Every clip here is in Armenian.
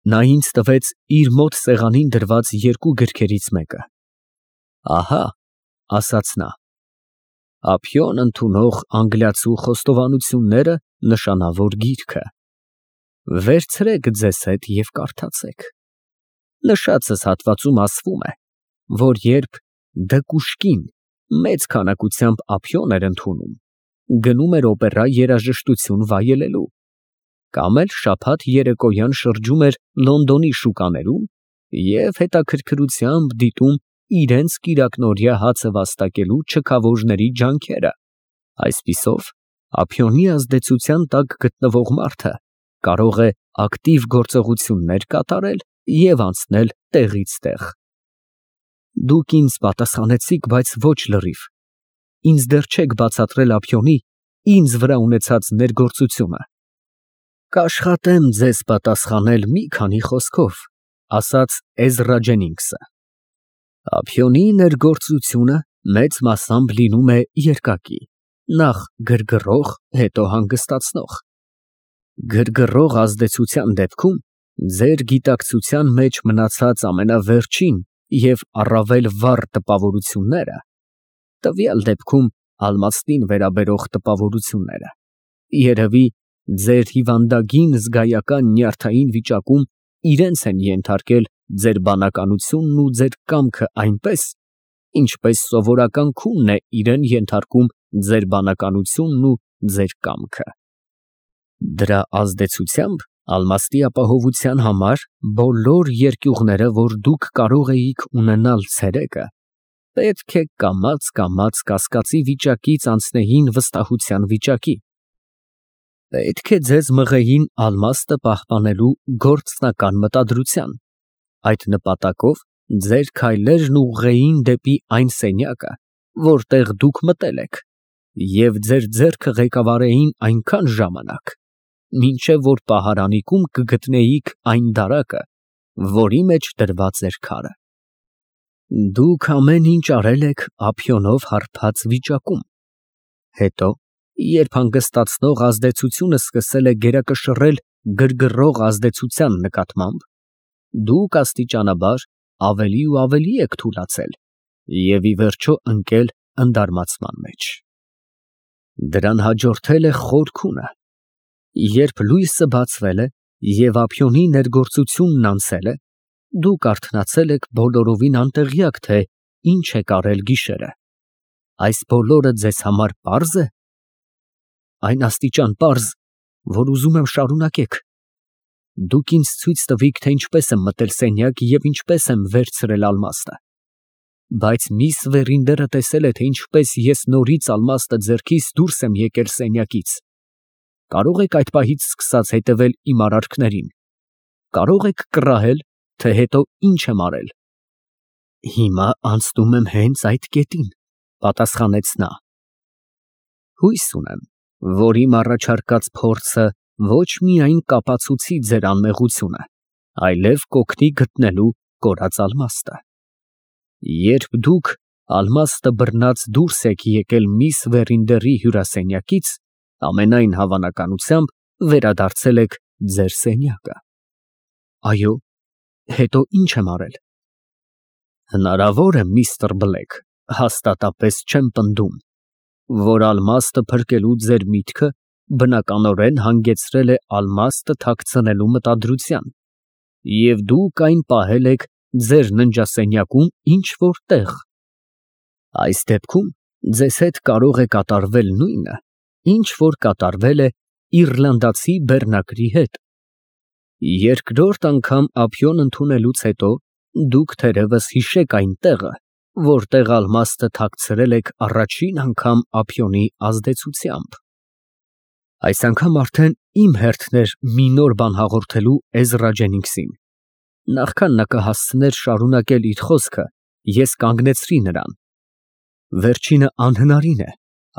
Նա ինձ տվեց իր մոտ սեղանին դրված երկու գրքերից մեկը։ Ահա, ասաց նա, ափիոն ընդունող անգլիացու խոստովանությունները նշանավոր գիրքը, վերցրեք ձեզ հետ և կարդացեք։ Նշածս հատվածում ասվում է, որ երբ Դկուշկին մեծ քանակությամբ ափիոն էր ընդունում, գնում էր օպերա երաժշտություն վայելելու, կամ էլ շաբաթ երեկոյան շրջում էր Լոնդոնի շուկաներում և հետաքրքրությամբ դիտում իրենց կիրակնօրյա հացը վաստակելու չքավորների ջանքերը, այսպիսով, ափիոնի ազդեցության տակ գտնվող մարդը կարող է ակտիվ գործողություններ կատարել և անցնել տեղից տեղ։ Դուք ինձ պատասխանեցիք, բայց ոչ լրիվ, ինձ դեռ չեք բացատրել ափիոնի ինձ վրա ունեցած ներգործությունը։ Կաշխատեմ ձեզ պատասխանել մի քանի խոսքով, ասաց Էզրա Ջենինգսը։ Ափիոնի ներգործությունը մեծ մասամբ լինում է երկակի, նախ գրգռող, հետո հանգստացնող։ Գրգռող ազդեցության դեպքում ձեր գիտակցության մեջ մնացած ամենավերջին և առավել վառ տպավորությունները, տվյալ դեպքում ալմաստին վերաբերող տպավորությունները, երևի ձեր հիվանդագին զգայական նյարդային վիճակում իրենց են ենթարկել ձեր բանականությունն ու ձեր կամքը այնպես, ինչպես սովորական քունն է իրան ենթարկում ձեր բանականությունն ու ձեր կամքը։ Դրա ազդեցությամբ ալմաստի ապահովության համար բոլոր երկյուղները, որ դուք կարող էիք ունենալ ցերեկը, պետք է կամաց կասկածի վիճակից անցնեին վստահության վիճակի։ Պետք է ձեզ մղեին ալմաստը պահպանելու գործնական մտադրության, այդ նպատակով ձեր քայլերն ուղղեին դեպի այն սենյակը, որտեղ դուք մտել եք, և ձեր ձեռքը ղեկավարեին այնքան ժամանակ, մինչև որ պահարանիկում կգտնեիք այն դարակը, որի մեջ դրված էր քարը։ Դուք ամեն ինչ արել եք ափիոնով հարբած վիճակում, հետո, երբ հանգստացնող ազդեցությունը սկսել է գերակշռել գրգռող ազդեցության նկատմամբ, դուք աստիճանաբար ավելի ու ավելի եք թուլացել և ի վերջո ընկել ընդարմացման մեջ։ Դրան հաջորդել է խոր քունը, երբ լույսը բացվել է և ափիոնի ներգործությունն անցել է, դուք արթնացել եք բոլորովին անտեղյակ, թե ինչ եք արել գիշերը։ Այս բոլորը ձեզ համար պարզ է։ Այն աստիճան պարզ, որ ուզում եմ շարունակեք։ Դուք ինձ ցույց տվիք, թե ինչպես եմ մտել սենյակ և ինչպես եմ վերցրել ալմաստը։ Բայց միս Վերինդերը տեսել է, թե ինչպես ես նորից ալմաստը ձեռքիս դուրս եմ եկել սենյակից։ Կարող եք այդ պահից սկսած հետևել իմ արարքներին։ Կարող եք կռահել, թե հետո ինչ եմ արել։ Հիմա անցնում եմ հենց այդ կետին, պատասխանեց նա։ Հույս ունեմ, որ իմ առաջարկած փորձը ոչ միայն կապացուցի ձեր անմեղությունը, այլև կօգնի գտնելու կորած ալմաստը։ Երբ դուք ալմաստը բռնած դուրս եք եկել միս Վերինդերի հյուրասենյակից, ամենայն հավանականությամբ վերադարձել եք ձեր սենյակը։ Այո, հետո ինչ եմ արել։ Հնարավոր է, միստր Բլեք, հաստատապես չեմ պնդում, որ ալմաստը փրկելու ձեր միտքը բնականորեն հանգեցրել է ալմաստը թաքցնելու մտադրության, և դուք այն պահել եք ձեր ննջասենյակում ինչ֊որ տեղ։ Այս դեպքում ձեզ հետ կարող է կատարվել նույնը, ինչ որ կատարվել է իռլանդացի բեռնակրի հետ։ Երկրորդ անգամ ափիոն ընդունելուց հետո դուք թերևս հիշեք այն տեղը, որտեղ ալմաստը թաքցրել եք առաջին անգամ ափիոնի ազդեցությամբ։ Այս անգամ արդեն իմ հերթն էր մի նոր բան հաղորդելու Էզրա Ջենինգսին։ Նախքան նա կհասցներ շարունակել իր խոսքը, ես կանգնեցրի նրան։ Վերջինը անհնարին է,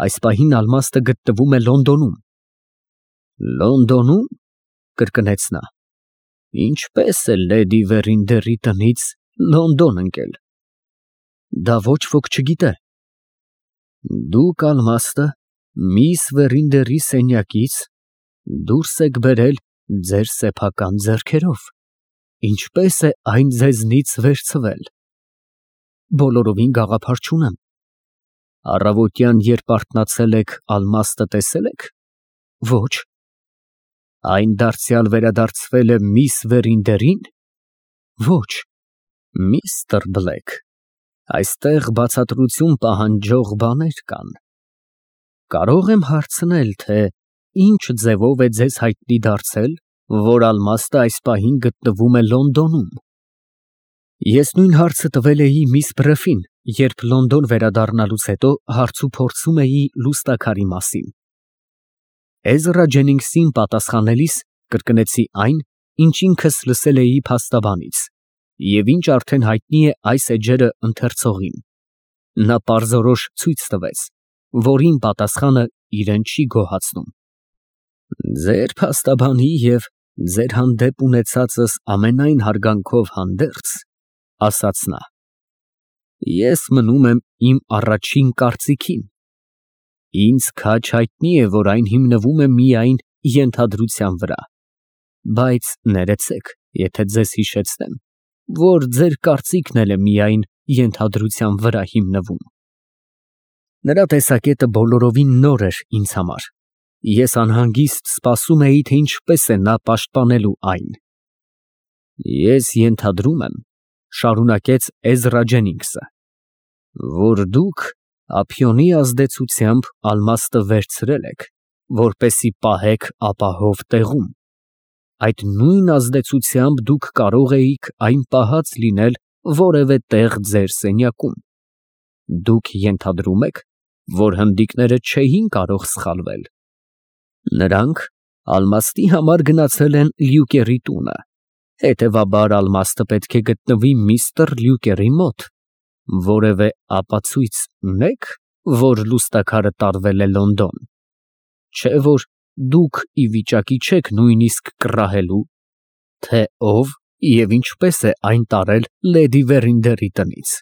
այս պահին ալմաստը գտնվում է Լոնդոնում։ Լոնդոնում, կրկնեց նա, ինչպես է լեդի Վերինդերի տնից Լոնդոն ընկել։ Դա ոչ ոք չգիտե։ Դուք ալմաստը միս Վերինդերի սենյակից դուրս եք բերել ձեր սեփական ձեռքերով։ Ինչպես է այն ձեզնից վերցվել։ Բոլորովին գաղափար չունեմ։ Առավոտյան, երբ արթնացել եք, ալմաստը տեսե՞լ եք։ Ոչ։ Այն դարձյալ վերադարձվել է միս Վերինդերին։ Ոչ։ Միստր Բլեկ, այստեղ բացատրություն պահանջող բաներ կան։ Կարող եմ հարցնել, թե ինչ ձևով է ձեզ հայտնի դարձել, որ ալմաստը այս պահին գտնվում է Լոնդոնում։ Ես նույն հարցը տվել էի միս Բրեֆին, երբ Լոնդոն վերադառնալուց հետո հարցուփորձում էի լուստաքարի մասին։ Էզրա Ջենինգսին պատասխանելիս կրկնեցի այն, ինչ ինքս լսել էի փաստաբանից, և ինչ արդեն հայտնի է այս էջերը ընթերցողին։ Նա պարզորոշ ցույց տվեց, որ իմ պատասխանը իրեն չի գոհացնում։ Ձեր փաստաբանի և ձեր հանդեպ ունեցածս ամենայն հարգանքով հանդերձ, ասաց նա, ես մնում եմ իմ առաջին կարծիքին։ Ինձ քաջ հայտնի է, որ այն հիմնվում է միայն ենթադրության վրա, բայց ներեցեք, եթե ձեզ հիշեցնեմ, որ ձեր կարծիքն էլ է միայն ենթադրության վրա հիմնվում։ Նրա տեսակետը բոլորովին նոր էր ինձ համար։ Ես անհանգիստ սպասում էի, թե ինչպես է նա պաշտպանելու այն։ Ես ենթադրում եմ, շարունակեց Էզրա Ջենինգսը, որ դուք ափիոնի ազդեցությամբ ալմաստը վերցրել եք, որպեսզի պահեք ապահով տեղում։ Այդ նույն ազդեցությամբ դուք կարող էիք այն պահած լինել որևէ տեղ ձեր սենյակում։ Դուք ենթադրում եք, որ հնդիկները չէին կարող սխալվել։ Նրանք ալմաստի համար գնացել են Լյուկերի տունը, հետևաբար ալմաստը պետք է գտնվի միստր Լյուկերի մոտ։ Որևէ ապացույց ունե՞ք, որ լուստաքարը տարվել է Լոնդոն։ Չէ՞ որ դուք ի վիճակի չեք նույնիսկ կռահելու, թե ով և ինչպես է այն տարել լեդի Վերինդերի տնից։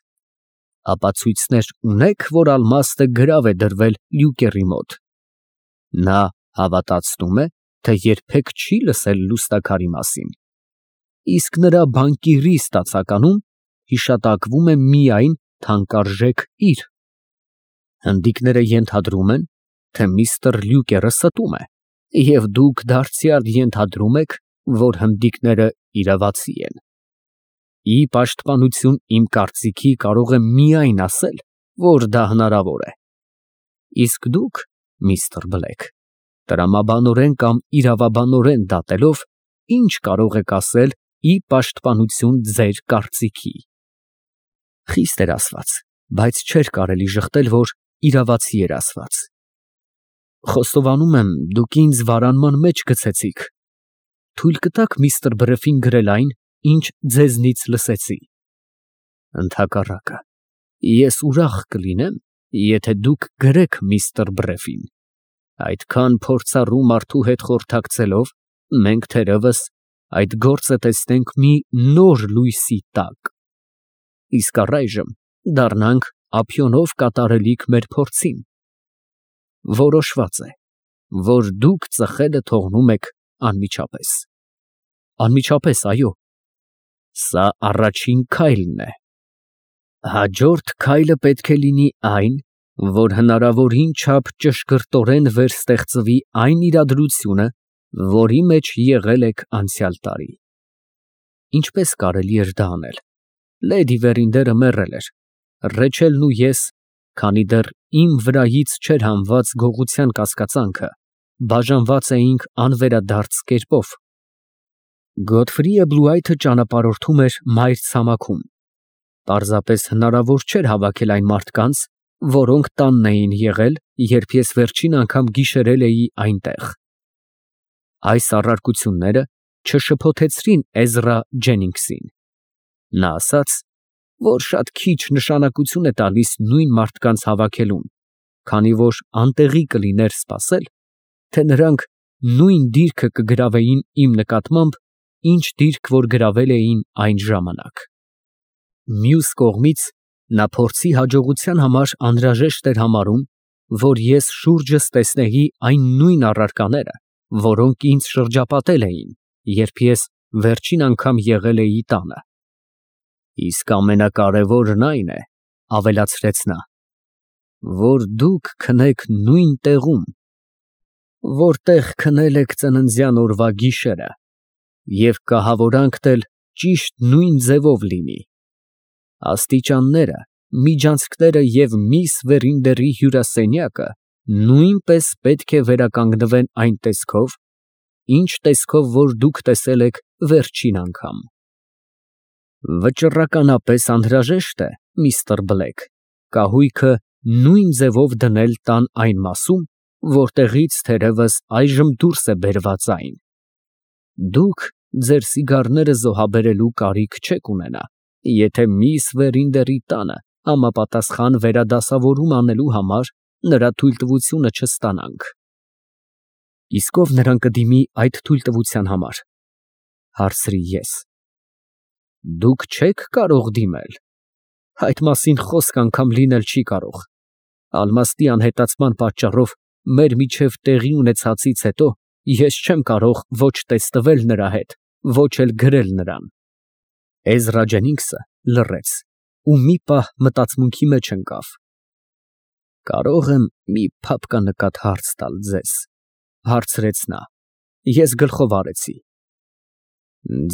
Ապացույցներ ունե՞ք, որ ալմաստը գրավ է դրվել Լյուկերի մոտ։ Նա հավատացնում է, թե երբեք չի լսել լուստաքարի մասին, իսկ նրա բանկիրի ստացականում հիշատակվում է միայն թանկարժեք իր։ Հնդիկները ենթադրում են, թե միստր Լյուկերը ստում է, և դուք դարձյալ ենթադրում եք, որ հնդիկները իրավացի են։ Ի պաշտպանություն իմ կարծիքի կարող եմ միայն ասել, որ դա հնարավոր է։ Իսկ դուք, միստր Բլեկ, տրամաբանորեն կամ իրավաբանորեն դատելով, ինչ կարող եք ասել ի պաշտպանություն ձեր կարծիքի։ Խիստ էր ասված, բայց չէր կարելի ժխտել, որ իրավացի էր ասված։ Խոստովանում եմ, դուք ինձ վարանման մեջ գցեցիք։ Թույլ կտաք միստր Բրեֆին գրել այն, ինչ ձեզնից լսեցի։ Ընդհակառակը, ես ուրախ կլինեմ, եթե դուք գրեք միստր Բրեֆին։ Այդքան փորձառու մարդու հետ խորհրդակցելով, մենք թերևս այդ գործը տեսնենք մի նոր լույսի տակ։ Իսկ առայժմ դառնանք ափիոնով կատարելիք մեր փորձին։ Որոշված է, որ դուք ծխելը թողնում եք անմիջապես։ Անմիջապես, այո։ Սա առաջին քայլն է։ Հաջորդ քայլը պետք է լինի այն, որ հնարավորին չափ ճշգրտորեն վերստեղծվի այն իրադրությունը, որի մեջ եղել եք անցյալ տարի։ Ինչպես կարելի էր դա անել։ Լեդի Վերինդերը մեռել էր, Ռեչելն ու ես, քանի դեռ իմ վրայից չէր հանված գողության կասկածանքը, բաժանված էինք անվերադարձ կերպով։ Գոթֆրիը Բլուայթը ճանապարհորդում էր մայր ցամաքում։ Պարզապես հնարավոր չէր հավաքել այն մարդկանց, որոնք տանն էին եղել, երբ ես վերջին անգամ գիշերել էի այնտեղ։ Այս առարկությունները չշփոթեցրին Էզրա Ջենինգսին։ Նա ասաց, որ շատ քիչ նշանակություն է տալիս նույն մարդկանց հավաքելուն, քանի որ անտեղի կլիներ սպասել, թե նրանք նույն դիրքը կգրավեին իմ նկատմամբ, ինչ դիրք որ գրավել էին այն ժամանակ։ Մյուս կողմից, նա փորձի հաջողության համար անհրաժեշտ էր համարում, որ ես շուրջս տեսնեի այն նույն առարկաները, որոնք ինձ շրջապատել էին, երբ ես վերջին անգամ եղել էի տանը։ Իսկ ամենակարևորն այն է, ավելացրեց նա, որ դուք քնեք նույն տեղում, որտեղ քնել եք ծննդյան օրվա գիշերը, և կահավորանքն էլ ճիշտ նույն ձևով լինի։ Աստիճանները, միջանցքները և միս Վերինդերի հյուրասենյակը նույնպես պետք է վերականգնվեն այն տեսքով, ինչ տեսքով որ դուք տեսել եք վերջին անգամ։ Վճռականապես անհրաժեշտ է, միստր Բլեք, կահույքը նույն ձևով դնել տան այն մասում, որտեղից թերևս այժմ դուրս է բերված այն։ Դուք ձեր սիգարները զոհաբերելու կարիք չեք ունենա, եթե միս Վերինդերի տանը համապատասխան վերադասավորում անելու համար նրա թույլտվությունը չստանանք։ Իսկ ով նրան կդիմի այդ թույլտվության համար, հարցրի ես։ Դուք չեք կարող դիմել, այդ մասին խոսք անգամ լինել չի կարող։ Ալմաստի անհետացման պատճառով մեր միջև տեղի ունեցածից հետո ես չեմ կարող ոչ տեստվել նրա հետ, ոչ էլ գրել նրան։ Էզրա Ջենինգսը լռեց ու մի պահ մտածմունքի մեջ ընկավ։ Կարող եմ մի փափկանկատ հարց տալ ձեզ, հարցրեց նա։ Ես գլխով արեցի։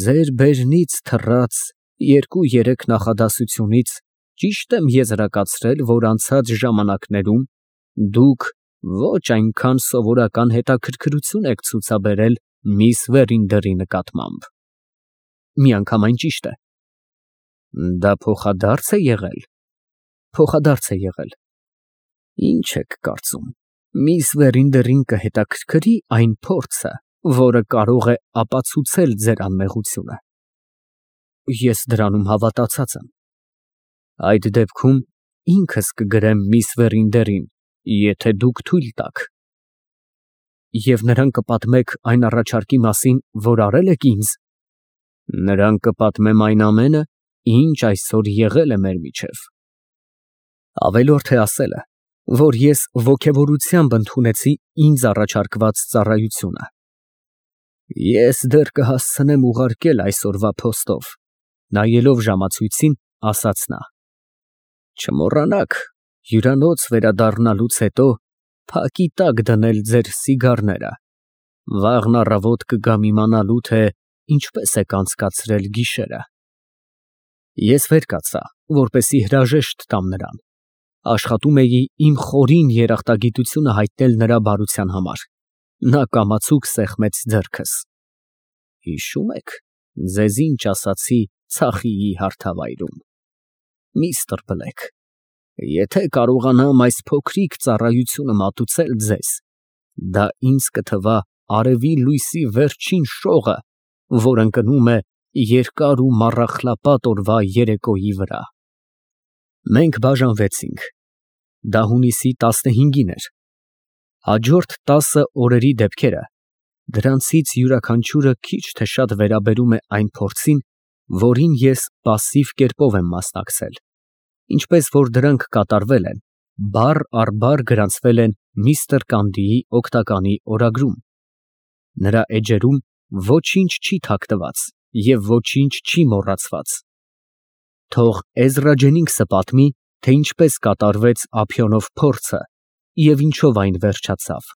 Ձեր բերնից թռած 2-3 նախադասությունից ճիշտ եմ եզրակացրել, որ անցած ժամանակներում դուք ոչ այնքան սովորական հետաքրքրություն եք ցուցաբերել միս Վերինդերի նկատմամբ։ Միանգամայն ճիշտ է։ Դա փոխադարձ է եղել։ Փոխադարձ է եղել։ Ինչ եք կարծում, միս Վերինդերին կհետաքրքրի այն փորձը, որը կարող է ապացուցել ձեր անմեղությունը։ Ես դրանում հավատացած եմ։ Այդ դեպքում ինքս կգրեմ միս Վերինդերին, եթե դուք թույլ տաք։ Եվ նրան կպատմեք այն առաջարկի մասին, որ արել եք ինձ։ Նրան կպատմեմ այն ամենը, ինչ այսօր եղել է մեր միջև։ Ավելորդ է ասելը, որ ես ոգևորությամբ ընդունեցի ինձ առաջարկված ծառայությունը։ Ես դեռ կհասցնեմ ուղարկել այսօրվա փոստով, նայելով ժամացույցին, ասաց նա։ Չմոռանաք հյուրանոց վերադառնալուց հետո փակի տակ դնել ձեր սիգարները։ Վաղն առավոտ կգամ իմանալու, թե ինչպես եք անցկացրել գիշերը։ Ես վեր կացա, որպեսզի հրաժեշտ տամ նրան։ Աշխատում էի իմ խորին երախտագիտությունը հայտնել նրա բարության համար։ Նա կամացուկ սեղմեց ձեռքս։ Հիշո՞ւմ եք, ձեզ ինչ ասացի Ցախիի հարթավայրում։ Միստր Բլեք, եթե կարողանամ այս փոքրիկ ծառայությունը մատուցել ձեզ, դա ինձ կթվա արևի լույսի վերջին շողը, որ ընկնում է երկար ու մառախլապատ օրվա երեկոյի վրա։ Մենք բաժանվեցինք։ Դա հունիսի 15-ին էր։ Հաջորդ 10 օրերի դեպքերը, դրանցից յուրաքանչյուրը քիչ թե շատ վերաբերում է այն փորձին, որին ես պասիվ կերպով եմ մասնակցել, ինչպես որ դրանք կատարվել են, բառ առ բառ գրանցվել են միստր Կանդիի օգնականի օրագրում։ Նրա էջերում ոչինչ չի թաքնված և ոչինչ չի մոռացված։ Թող Էզրա Ջենինգսը պատմի, թե ինչպես կատարվեց Ափիոնով փորձը և ինչով այն վերջացավ։